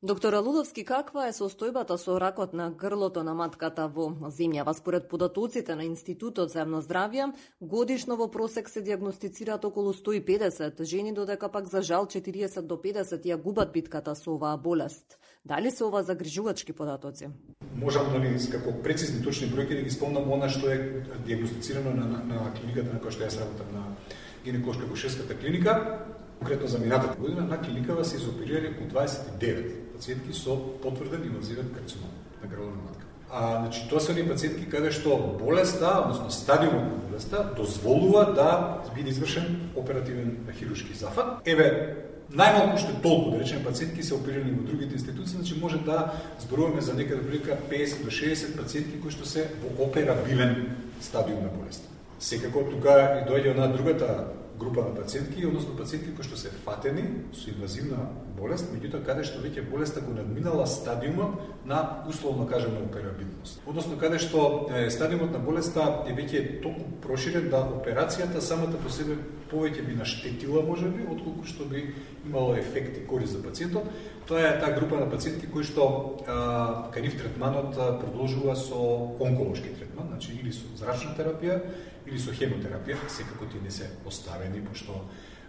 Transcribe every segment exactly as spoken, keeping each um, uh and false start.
Доктор Алудовски, каква е состојбата со ракот на грлото на матката во земјава? Според податоците на Институтот за јавно здравје, годишно во просек се дијагностицираат околу сто и педесет жени, додека пак за жал четириесет до педесет ја губат битката со оваа болест. Дали се ова загрижувачки податоци? Можам дали како прецизни точни бројки да ги спомнам она што е дијагностицирано на, на, на клиниката на која што јас работам, на гинеколошка акушерската клиника. Конкретно за минатата година на клиникава се изоперирали околу дваесет и девет пациентки со потврден инвазивен карцином на грлото на матка. А, значи, тоа се оние пациентки каде што болеста, односно стадиумот на болеста, дозволува да биде извршен оперативен хируршки зафат. Еве, најмалку што толку, да речеме, пациентки се оперирани во другите институции, значи може да зборуваме за некаде прилика педесет до шеесет пациентки кои што се во операбилен стадиум на болеста. Секако тука и доаѓа на другата група на пациентки, односно пациентки кои што се фатени со инвазивна болест, меѓутоа каде што веќе болеста го надминала стадиумот на условно кажано операбилност. Односно каде што е, стадиумот на болеста е веќе толку проширен да операцијата самата по себе повеќе би наштетила можеби, отколку што би имало ефект и корист за пациентот. Тоа е таа група на пациентки кои што а, кај нив третманот а, продолжува со онколошки третман, значи или со зрачна терапија или со хемотерапија, секако тие не се оставени, пошто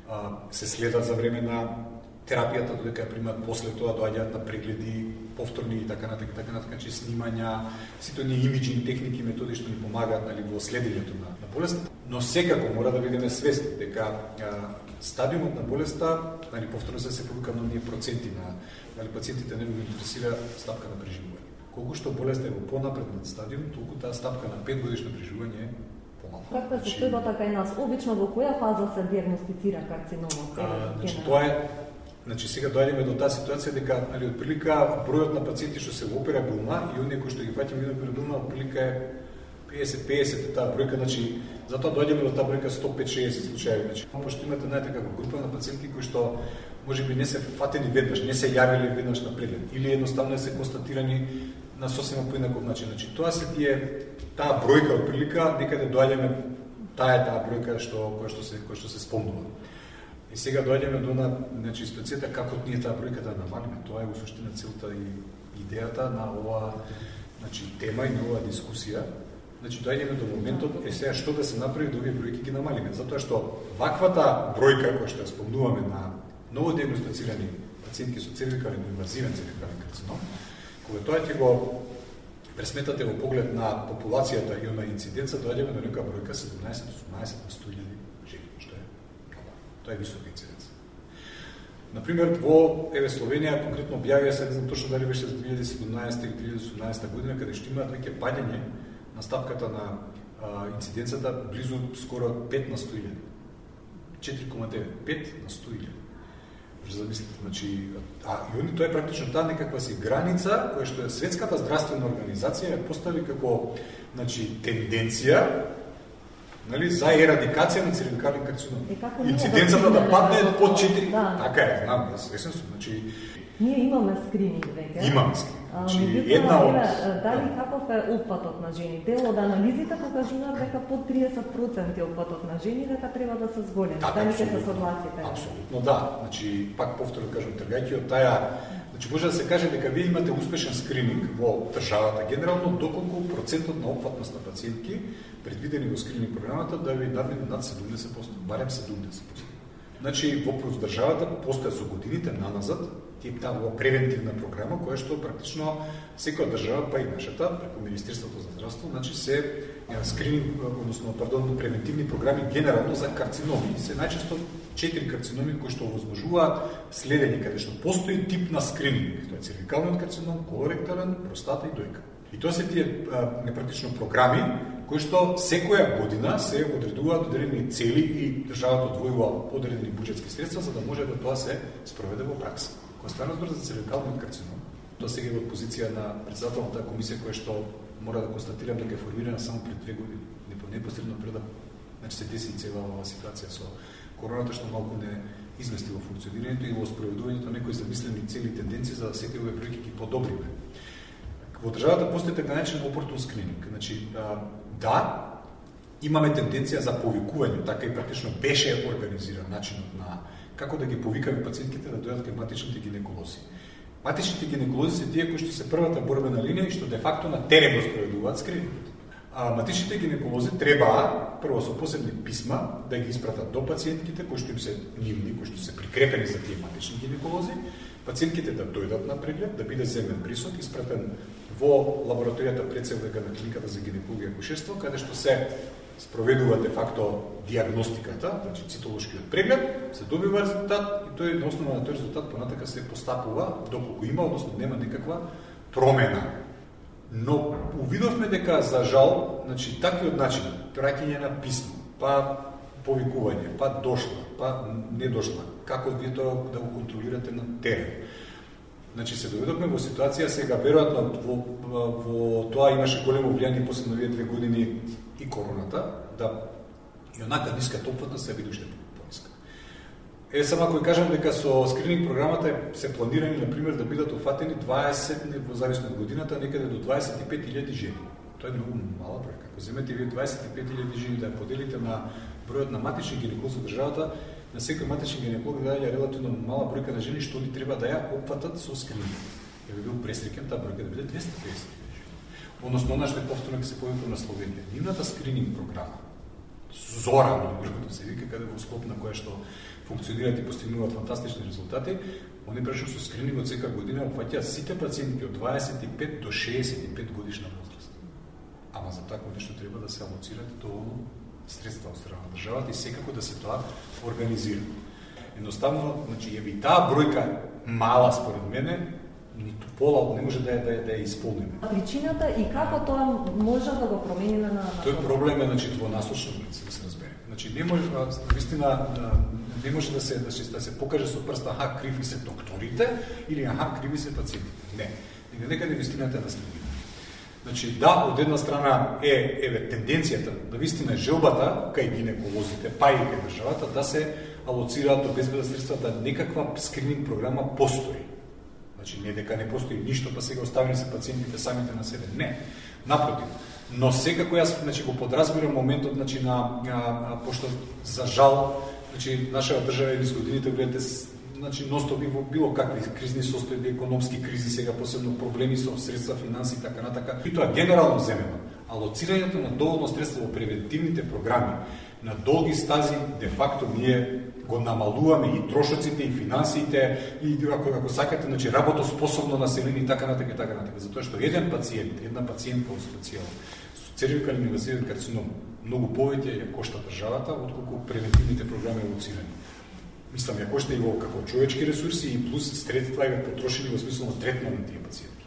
а, се следат за време на терапијата, додека ја примат после тоа, доаѓаат на прегледи, повторни и така натаму, така натаму, значи снимања, сите оние имиджинг техники, методи што ни помагаат нали, во следењето на, на болеста. Но секако мора да бидеме свесни дека а, стадиумот на болеста, нали, повторно се се повика на оние проценти на нали, пациентите не го интересира стапка на преживување. Колку што болеста е во понапреднат стадиум, толку таа стапка на пет годишно преживување е помалку. Каква е состојбата кај нас? Обично во која фаза се дијагностицира карциномот? Значи тоа е Значи сега доаѓаме до таа ситуација дека али отприлика бројот на пациенти што се во операбилна и оние кои што ги фаќаме во операбилна отприлика е педесет педесет таа бројка, значи затоа доаѓаме до таа бројка сто пет шеесет случаи. Значи пошто имате знаете како група на пациентки кои што можеби не се фатени веднаш, не се јавиле веднаш на преглед или едноставно се констатирани на сосема поинаков начин. Значи тоа се тие таа бројка отприлика некаде доаѓаме таа е таа бројка што која што се која што се спомнува. И сега доаѓаме до на значи ситуацијата како ние таа бројка да намалиме. Тоа е во суштина целта и идејата на оваа значи тема и на оваа дискусија. Значи доаѓаме до моментот е сега што да се направи да овие бројки ги намалиме, затоа што ваквата бројка која што ја спомнуваме на ново дијагностицирани пациентки со цервикален инвазивен цервикален карцином, кога тоа ќе го пресметате во поглед на популацијата и на инциденца, доаѓаме до нека бројка седумнаесет до осумнаесет на сто илјади жени, што е тоа е висока инциденца. Например, во еве Словенија конкретно објавија се, не знам точно дали беше за две илјади и седумнаесета или две илјади и осумнаесета година, каде што имаат веќе паѓање на стапката на а, инциденцата близу скоро пет на сто илјади. четири кома девет, пет на сто илјади. Може да замислите, значи, а и они тоа е практично таа некаква си граница која што е Светската здравствена организација ја постави како значи тенденција нали, за ерадикација на цервикален карцином. Инциденцата да падне под четири. Да. Така е, знам, јас свесен сум, значи ние имаме скрининг веќе. Имаме скрининг. Значи Меѓутоа, една од дали каков е опфатот на жени? Дел од анализите покажуваат дека под триесет проценти опфатот на жени дека треба да се зголеми. Да, дали ќе се согласите? Апсолутно да. Значи пак повторно кажам, тргајќи од таа, значи може да се каже дека вие имате успешен скрининг во државата генерално, доколку процентот на опфатност на пациентки предвидени во скрининг програмата да ви надмине над седумдесет проценти, барем седумдесет проценти. Значи во државата постоја со годините наназад тип таа превентивна програма која што практично секоја држава, па и нашата, преку Министерството за здравство, значи се скрининг, односно пардон, превентивни програми генерално за карциноми. Се најчесто четири карциноми кои што овозможуваат следење каде што постои тип на скрининг. Тоа е цервикалниот карцином, колоректален, простата и дојка. И тоа се тие непрактично програми кои што секоја година се одредуваат одредени цели и државата одвојува одредени буџетски средства за да може да тоа се спроведе во пракса. Кога стана збор за цервикалниот карцином, тоа сега е во позиција на претседател на таа комисија која што мора да констатирам дека е формирана само пред две години, непосредно пред да значи се деси цела оваа ситуација со короната што малку не измести во функционирањето и во спроведувањето некои замислени цели тенденции за да секој овие бројки ги подобриме. Во државата постои така наречен опортун скрининг. Значи, а, да, имаме тенденција за повикување, така и практично беше организиран начинот на како да ги повикаме пациентите да дојдат кај матичните гинеколози. Матичните гинеколози се тие кои што се првата борбена линија и што де факто на терен го спроведуваат скрининг. А матичните гинеколози треба прво со посебни писма да ги испратат до пациентките кои што им се нивни, кои што се прикрепени за тие матични гинеколози, пациентките да дојдат на преглед, да биде земен присок, испратен во лабораторијата прецелвека на клиниката за гинекологија и акушерство, каде што се спроведува де факто диагностиката, значи цитолошкиот преглед, се добива резултат и тој на основа на тој резултат понатака се постапува доколку има, односно нема никаква промена. Но увидовме дека за жал, значи таквиот начин, праќање на писмо, па повикување, па дошла, па не дошла, како вие тоа да го контролирате на терен. Значи се доведовме во ситуација сега, веројатно во, во, во тоа имаше големо влијание после новите две години и короната, да и онака ниската опфатност се види уште пониска. Е, само ако кажам дека со скрининг програмата се планирани, например, да бидат офатени дваесет, во зависно од годината, некаде до дваесет и пет илјади жени. Тоа е многу мала бројка. Ако земете вие дваесет и пет илјади жени да ја поделите на бројот на матични гинеколози во државата, на секој матичен гинеколог да ја релативно мала бројка на жени што ни треба да ја опфатат со скрининг. Ја би бил пресреќен таа бројка да биде двесте и песет жени. Односно, она што е повторно ќе се појави на Словенија. Нивната скрининг програма, Зора, другото се вика, каде во склоп на која што функционираат и постигнуваат фантастични резултати, они прашаат со скринингот секоја година опфаќаат сите пациенти од дваесет и пет до шеесет и пет годишна возраст. Ама за такво нешто треба да се алоцират доволно средства од страна на државата и секако да се тоа организира. Едноставно, значи, еви таа бројка мала според мене, ниту пола не може да ја, да, ја, да ја исполниме. Причината и како тоа може да го промени на... Тој проблем е, значи, двонасочно, да се разбере. Значи, не може, наистина, не може да се, да се, да се покаже со прст, аха, криви се докторите, или аха, криви се пациентите. Не. Нека некаде вистината е наследена. Значи, да, од една страна е, еве, тенденцијата, да вистина желбата, кај гинеколозите, па и кај државата, да се алоцираат, обезбедат средства, да некаква скрининг програма постои. Значи, не дека не постои ништо, па сега оставени се пациентите самите на себе. Не. Напротив. Но секако јас, значи, го подразбирам моментот, значи, на, на, на пошто за жал, значи, нашата држава низ годините, гледате, значи, ностоби во било какви кризни состојби, економски кризи, сега посебно проблеми со средства, финанси и така натака. И тоа генерално земено. Алоцирањето на доволно средства во превентивните програми на долги стази, де факто ние го намалуваме и трошоците, и финансиите, и ако, ако сакате, значи, работоспособно население и така натака и така натака. Затоа што еден пациент, една пациентка во специјално со цервикален инвазивен карцином многу повеќе ја кошта државата отколку превентивните програми алоцирани. Мислам, ја кошта и во како човечки ресурси и плюс средства ја потрошени во смисло на третман на тие пациенти.